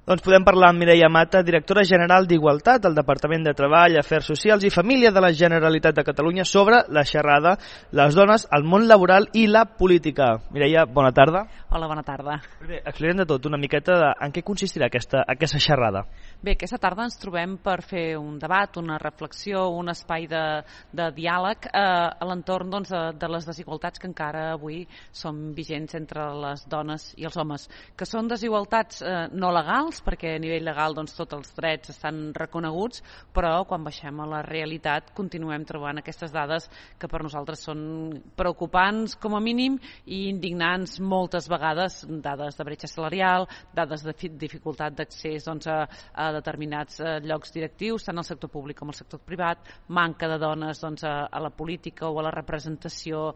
Doncs podem parlar amb Mireia Mata, directora general d'Igualtat del Departament de Treball, Afers Socials i Família de la Generalitat de Catalunya sobre la xerrada Les dones al món laboral i la política. Mireia, bona tarda. Hola, bona tarda. Bé, expliquem de tot una miqueta en què consistirà aquesta xerrada. Bé, aquesta tarda ens trobem per fer un debat, una reflexió, un espai de diàleg a l'entorn de les desigualtats que encara avui són vigents entre les dones i els homes, que són desigualtats no legals, perquè a nivell legal tots els drets estan reconeguts, però quan baixem a la realitat continuem trobant aquestes dades que per nosaltres són preocupants com a mínim i indignants moltes vegades, dades de bretxa salarial, dades de dificultat d'accés a determinats llocs directius, tant al sector públic com al sector privat, manca de dones a la política o a la representació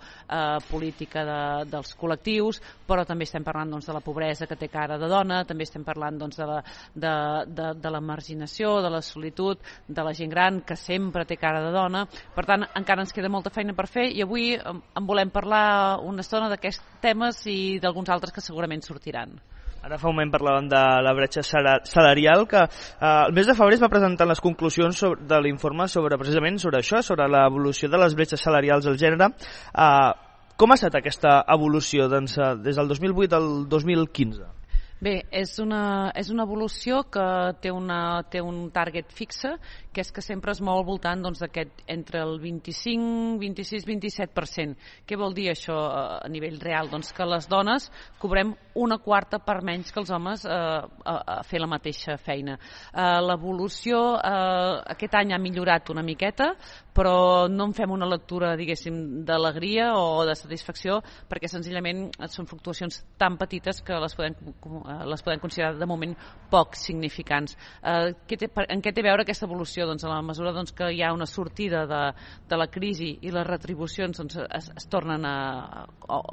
política dels col·lectius, però també estem parlant de la pobresa que té cara de dona, també estem parlant de la marginació, de la solitud, de la gent gran que sempre té cara de dona. Per tant, encara ens queda molta feina per fer i avui en volem parlar una estona d'aquests temes i d'alguns altres que segurament sortiran. Ara fa un moment parlàvem de la bretxa salarial, que el mes de febrer es va presentar les conclusions de l'informe precisament sobre això, sobre l'evolució de les bretxes salarials al gènere. Com ha estat aquesta evolució des del 2008 al 2015? Bé, és una evolució que té un target fixe, que és que sempre es mou al voltant d'aquest entre el 25, 26, 27%. Què vol dir això a nivell real? Doncs que les dones cobrem una quarta per menys que els homes a fer la mateixa feina. L'evolució aquest any ha millorat una miqueta, però no en fem una lectura, diguéssim, d'alegria o de satisfacció, perquè senzillament són fluctuacions tan petites que les podem considerar de moment poc significants. En què té a veure aquesta evolució? Doncs a la mesura que hi ha una sortida de la crisi i les retribucions es tornen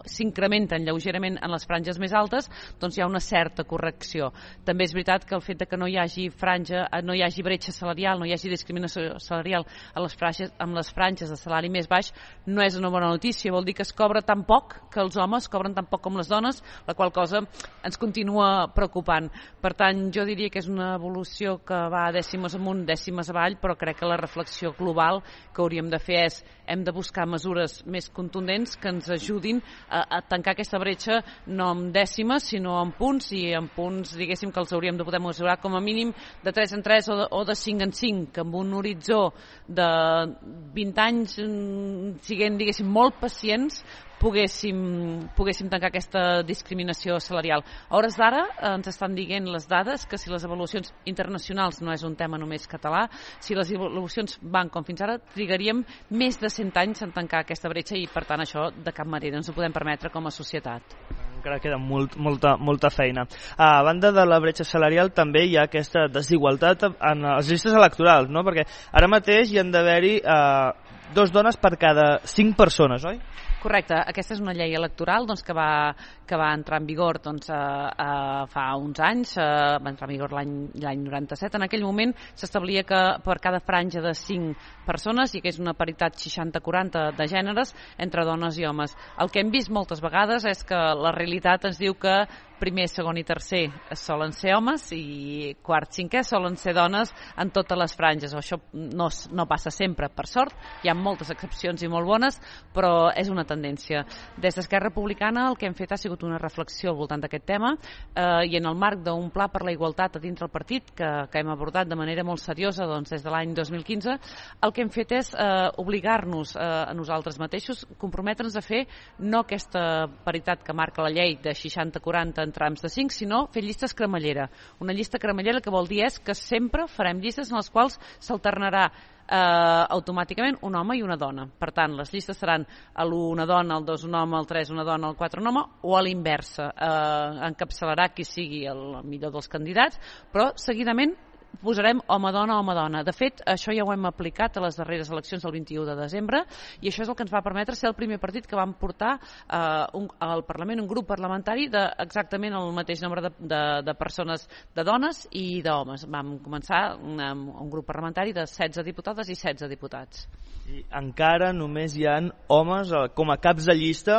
s'incrementen lleugerament en les franges més altes, doncs hi ha una certa correcció. També és veritat que el fet que no hi hagi bretxa salarial, no hi hagi discriminació salarial amb les franges de salari més baix no és una bona notícia, vol dir que es cobra tan poc, que els homes cobren tan poc com les dones, la qual cosa ens continua preocupant. Per tant, jo diria que és una evolució que va dècimes amunt, dècimes avall, però crec que la reflexió global que hauríem de fer és hem de buscar mesures més contundents que ens ajudin a tancar aquesta bretxa no amb dècimes, sinó amb punts, i amb punts, diguéssim, que els hauríem de poder mesurar com a mínim de 3 en 3 o de 5 en 5, que amb un horitzó de 20 anys, siguent, diguéssim, molt pacients, poguéssim tancar aquesta discriminació salarial. A hores d'ara ens estan dient les dades que si les evolucions internacionals no és un tema només català, si les evolucions van com fins ara, trigaríem més de 100 anys en tancar aquesta bretxa i per tant això de cap manera ens ho podem permetre com a societat. Encara queda molta feina. A banda de la bretxa salarial també hi ha aquesta desigualtat en les llistes electorals, no? Perquè ara mateix hi han d'haver-hi 2 dones per cada 5 persones, oi? Correcte, aquesta és una llei electoral que va entrar en vigor fa uns anys, va entrar en vigor l'any 97. En aquell moment s'establia que per cada franja de 5 persones hi hagués una paritat 60-40 de gèneres entre dones i homes. El que hem vist moltes vegades és que la realitat ens diu que primer, segon i tercer solen ser homes i quart, cinquè solen ser dones en totes les franges. Això no passa sempre, per sort, hi ha moltes excepcions i molt bones, però és una tendència. Des d'Esquerra Republicana el que hem fet ha sigut una reflexió al voltant d'aquest tema i en el marc d'un pla per la igualtat a dintre el partit que hem abordat de manera molt seriosa des de l'any 2015, el que hem fet és obligar-nos a nosaltres mateixos, comprometre'ns a fer no aquesta paritat que marca la llei de 60-40 en trams de 5, sinó fer llistes cremallera. Una llista cremallera que vol dir és que sempre farem llistes en les quals s'alternarà automàticament un home i una dona. Per tant, les llistes seran l'1 una dona, el 2 un home, el 3 una dona, el 4 un home, o a l'inversa. Encapçalarà qui sigui el millor dels candidats, però seguidament posarem home-dona. De fet, això ja ho hem aplicat a les darreres eleccions del 21 de desembre i això és el que ens va permetre ser el primer partit que vam portar al Parlament un grup parlamentari d'exactament el mateix nombre de persones, de dones i d'homes. Vam començar amb un grup parlamentari de 16 diputades i 16 diputats. I encara només hi ha homes com a caps de llista,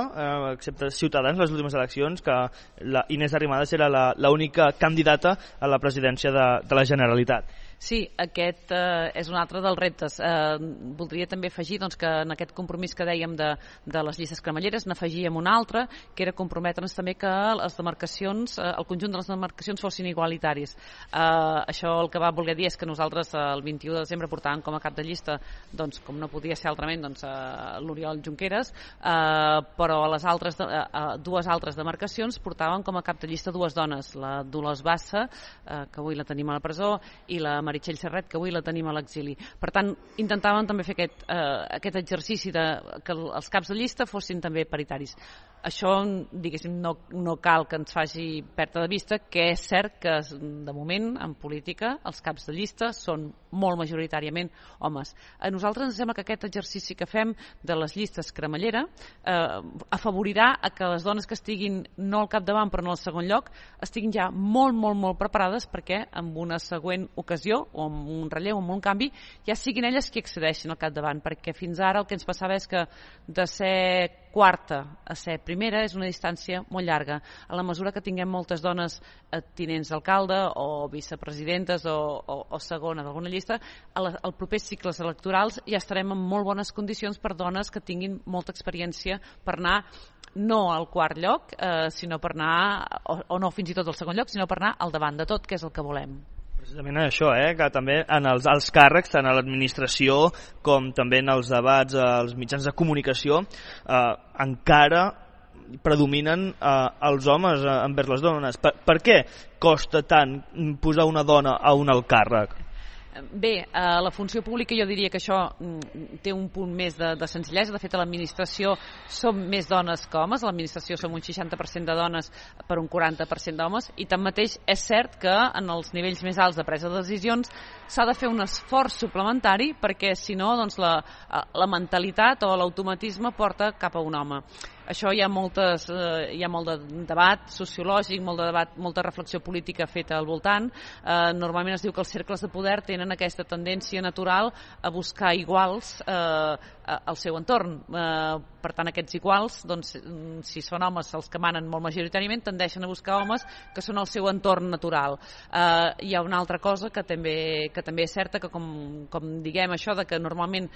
excepte Ciutadans, les últimes eleccions, que la Inés Arrimadas era l'única candidata a la presidència de la Generalitat. Sí, aquest és un altre dels reptes. Voldria també afegir que en aquest compromís que dèiem de les llistes cremalleres n'afegíem un altre, que era comprometre'ns també que les demarcacions, el conjunt de les demarcacions fossin igualitaris. Això el que va voler dir és que nosaltres el 21 de desembre portàvem com a cap de llista, com no podia ser altrament, l'Oriol Junqueras, però a les altres, dues altres demarcacions portàvem com a cap de llista dues dones, la Dolors Bassa, que avui la tenim a la presó, i la Meritxell Serret, que avui la tenim a l'exili. Per tant, intentàvem també fer aquest exercici que els caps de llista fossin també paritaris. Això, diguéssim, no cal que ens faci perdre de vista que és cert que, de moment, en política, els caps de llista són molt majoritàriament homes. A nosaltres ens sembla que aquest exercici que fem de les llistes cremallera afavorirà a que les dones que estiguin no al capdavant però no al segon lloc estiguin ja molt preparades perquè en una següent ocasió o amb un relleu o amb un canvi ja siguin elles qui accedeixin al capdavant, perquè fins ara el que ens passava és que de ser quarta a ser primera és una distància molt llarga. A la mesura que tinguem moltes dones tinents d'alcalde o vicepresidentes o segona d'alguna llista, als propers cicles electorals ja estarem en molt bones condicions per dones que tinguin molta experiència per anar no al quart lloc, sinó per anar, o no fins i tot al segon lloc, sinó per anar al davant de tot, que és el que volem. Precisament això, que també en els alts càrrecs, tant a l'administració com també en els debats, als mitjans de comunicació, encara predominen els homes envers les dones. Per què costa tant posar una dona a un alt càrrec? Bé, a la funció pública jo diria que això té un punt més de senzillesa. De fet, a l'administració som més dones que homes. A l'administració som un 60% de dones per un 40% d'homes i tanmateix és cert que en els nivells més alts de presa de decisions s'ha de fer un esforç suplementari perquè si no la mentalitat o l'automatisme porta cap a un home. Això hi ha molt de debat sociològic, molt de debat, molta reflexió política feta al voltant. Normalment es diu que els cercles de poder tenen aquesta tendència natural a buscar iguals al seu entorn. Per tant, aquests iguals, si són homes els que manen molt majoritàriament, tendeixen a buscar homes que són al seu entorn natural. Hi ha una altra cosa que també és certa, que com diguem això, de que normalment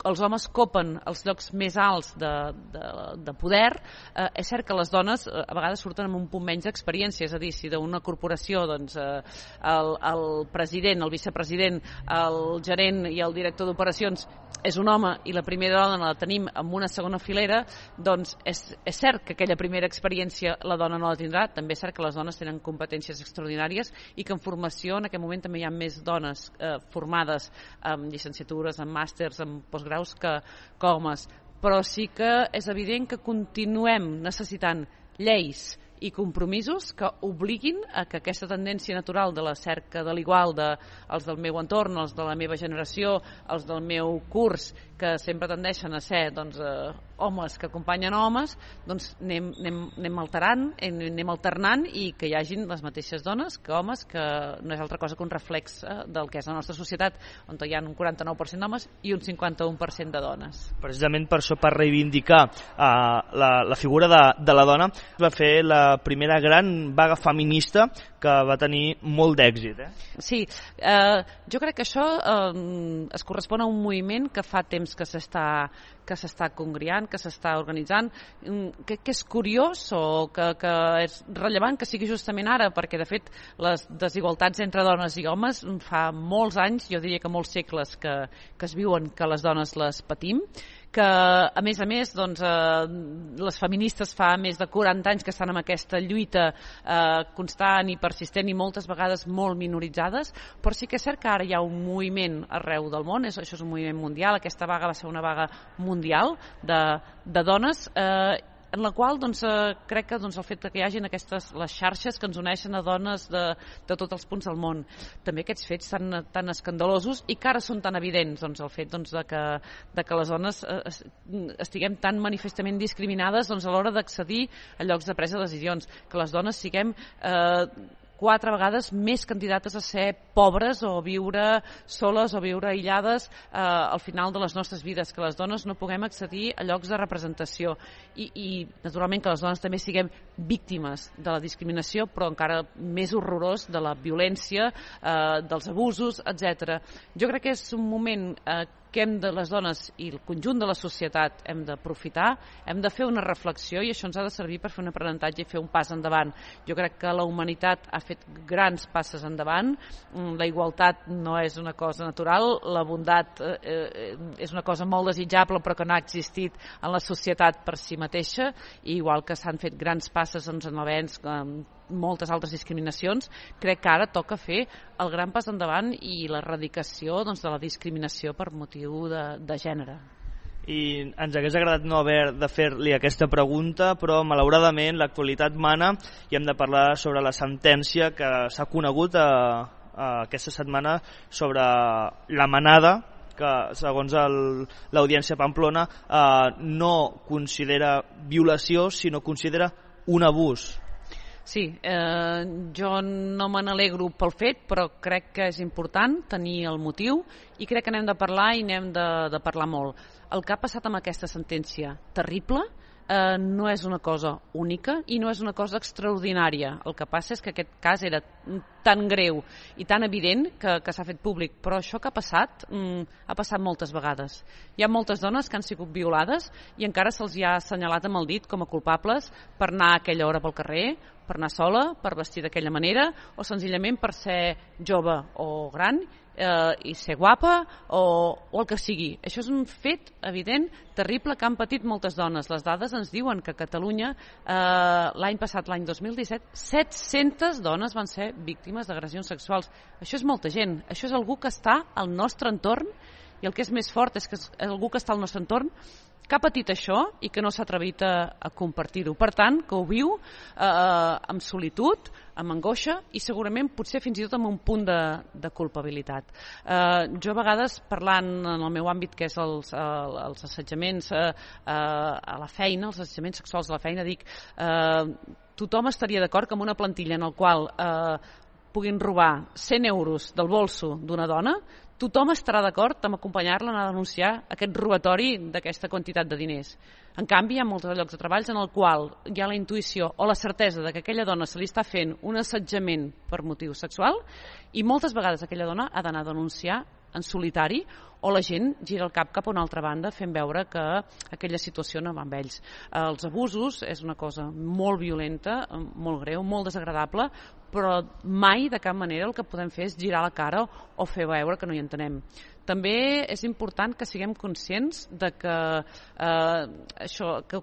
els homes copen els llocs més alts de poder, és cert que les dones a vegades surten amb un punt menys d'experiència, és a dir, si d'una corporació el president, el vicepresident, el gerent i el director d'operacions és un home i la primera dona la tenim en una segona filera, doncs és cert que aquella primera experiència la dona no la tindrà, també és cert que les dones tenen competències extraordinàries i que en formació en aquest moment també hi ha més dones formades en llicenciatures, en màsters, en postgraus que homes, però sí que és evident que continuem necessitant lleis i compromisos que obliguin a que aquesta tendència natural de la cerca de l'igual dels del meu entorn, els de la meva generació, els del meu curs, que sempre tendeixen a ser homes que acompanyen homes, anem alterant, anem alternant i que hi hagin les mateixes dones que homes, que no és altra cosa que un reflex del que és la nostra societat, on hi ha un 49% d'homes i un 51% de dones. Precisament per això, per reivindicar la figura de la dona, va fer la primera gran vaga feminista que va tenir molt d'èxit. Sí, jo crec que això es correspon a un moviment que fa temps que s'està congriant, que s'està organitzant, que és curiós o que és rellevant que sigui justament ara, perquè de fet les desigualtats entre dones i homes fa molts anys, jo diria que molts segles que es viuen, que les dones les patim, que a més les feministes fa més de 40 anys que estan en aquesta lluita constant i persistent i moltes vegades molt minoritzades, però sí que és cert que ara hi ha un moviment arreu del món, això és un moviment mundial, aquesta vaga va ser una vaga mundial de dones en la qual crec que el fet que hi hagin les xarxes que ens uneixen a dones de tots els punts del món, també aquests fets tan escandalosos i que ara són tan evidents, el fet de que les dones estiguem tan manifestament discriminades a l'hora d'accedir a llocs de presa de decisions, que les dones siguem 4 vegades més candidates a ser pobres o viure soles o viure aïllades al final de les nostres vides, que les dones no puguem accedir a llocs de representació i naturalment que les dones també siguem víctimes de la discriminació, però encara més horrorós de la violència, dels abusos, etc. Jo crec que és un moment que les dones i el conjunt de la societat hem d'aprofitar, hem de fer una reflexió i això ens ha de servir per fer un aprenentatge i fer un pas endavant. Jo crec que la humanitat ha fet grans passes endavant, la igualtat no és una cosa natural, la bondat és una cosa molt desitjable però que no ha existit en la societat per si mateixa, i igual que s'han fet grans passes en l'avenç moltes altres discriminacions, crec que ara toca fer el gran pas endavant i l'erradicació de la discriminació per motiu de gènere. I ens hagués agradat no haver de fer-li aquesta pregunta, però malauradament l'actualitat mana i hem de parlar sobre la sentència que s'ha conegut aquesta setmana sobre la manada, que segons l'Audiència Pamplona no considera violació, sinó considera un abús. Sí, jo no me n'alegro pel fet, però crec que és important tenir el motiu i crec que n'hem de parlar i n'hem de parlar molt. El que ha passat amb aquesta sentència terrible no és una cosa única i no és una cosa extraordinària. El que passa és que aquest cas era tan greu i tan evident que s'ha fet públic, però això que ha passat moltes vegades. Hi ha moltes dones que han sigut violades i encara se'ls ha assenyalat amb el dit com a culpables per anar a aquella hora pel carrer, per anar sola, per vestir d'aquella manera o senzillament per ser jove o gran i ser guapa o el que sigui. Això és un fet evident, terrible, que han patit moltes dones. Les dades ens diuen que a Catalunya l'any passat, l'any 2017, 700 dones van ser víctimes d'agressions sexuals. Això és molta gent, això és algú que està al nostre entorn i el que és més fort és que és algú que està al nostre entorn que ha patit això i que no s'ha atrevit a compartir-ho. Per tant, que ho viu amb solitud, amb angoixa i segurament potser fins i tot amb un punt de culpabilitat. Jo a vegades, parlant en el meu àmbit que és els assetjaments a la feina, els assetjaments sexuals a la feina, dic tothom estaria d'acord que amb una plantilla en el qual puguin robar 100 euros del bolso d'una dona, tothom estarà d'acord amb acompanyar-la a denunciar aquest robatori d'aquesta quantitat de diners. En canvi, hi ha molts llocs de treball en el qual hi ha la intuïció o la certesa de que aquella dona se li està fent un assetjament per motiu sexual i moltes vegades aquella dona ha d'anar a denunciar en solitari o la gent gira el cap a una altra banda fent veure que aquella situació no va amb ells. Els abusos és una cosa molt violenta, molt greu, molt desagradable, però mai de cap manera el que podem fer és girar la cara o fer veure que no hi entenem. També és important que siguem conscients de que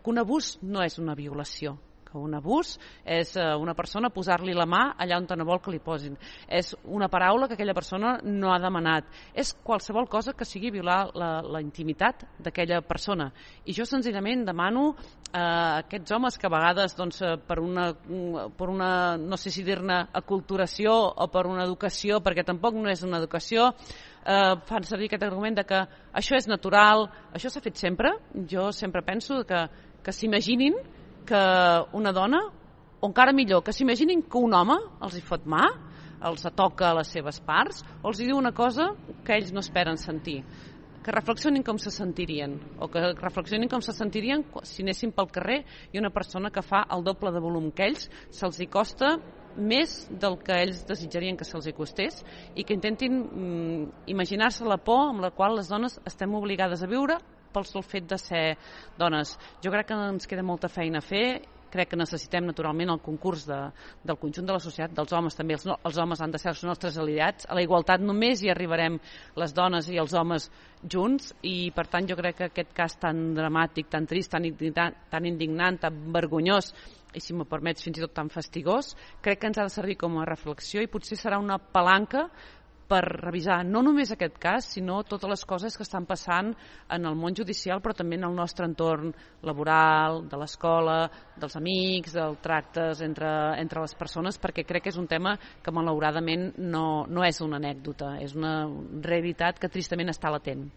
un abús no és una violació. Un abús és una persona posar-li la mà allà on no vol que li posin. És una paraula que aquella persona no ha demanat. És qualsevol cosa que sigui violar la intimitat d'aquella persona. I jo senzillament demano a aquests homes que a vegades per una no sé si dir-ne aculturació o per una educació, perquè tampoc no és una educació, fan servir aquest argument de que això és natural, això s'ha fet sempre. Jo sempre penso que s'imaginin que una dona, o encara millor, que s'imaginin que un home els hi fot mà, els toca a les seves parts, o els hi diu una cosa que ells no esperen sentir. Que reflexionin com se sentirien, o que reflexionin com se sentirien si anessin pel carrer i una persona que fa el doble de volum que ells se'ls hi costa més del que ells desitjarien que se'ls hi costés i que intentin imaginar-se la por amb la qual les dones estem obligades a viure pel sol fet de ser dones. Jo crec que ens queda molta feina a fer, crec que necessitem naturalment el concurs del conjunt de la societat, dels homes també, els homes han de ser els nostres aliats, a la igualtat només hi arribarem les dones i els homes junts i per tant jo crec que aquest cas tan dramàtic, tan trist, tan indignant, tan vergonyós i si m'ho permets fins i tot tan fastigós, crec que ens ha de servir com a reflexió i potser serà una palanca per revisar no només aquest cas, sinó totes les coses que estan passant en el món judicial, però també en el nostre entorn laboral, de l'escola, dels amics, dels tractes entre les persones, perquè crec que és un tema que malauradament no és una anècdota, és una realitat que tristament està latent.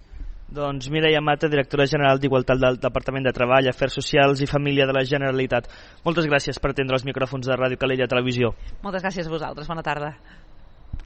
Doncs Mireia Mata, directora general d'Igualtat del Departament de Treball, Afers Socials i Família de la Generalitat. Moltes gràcies per atendre els micròfons de Ràdio Calella Televisió. Moltes gràcies a vosaltres. Bona tarda.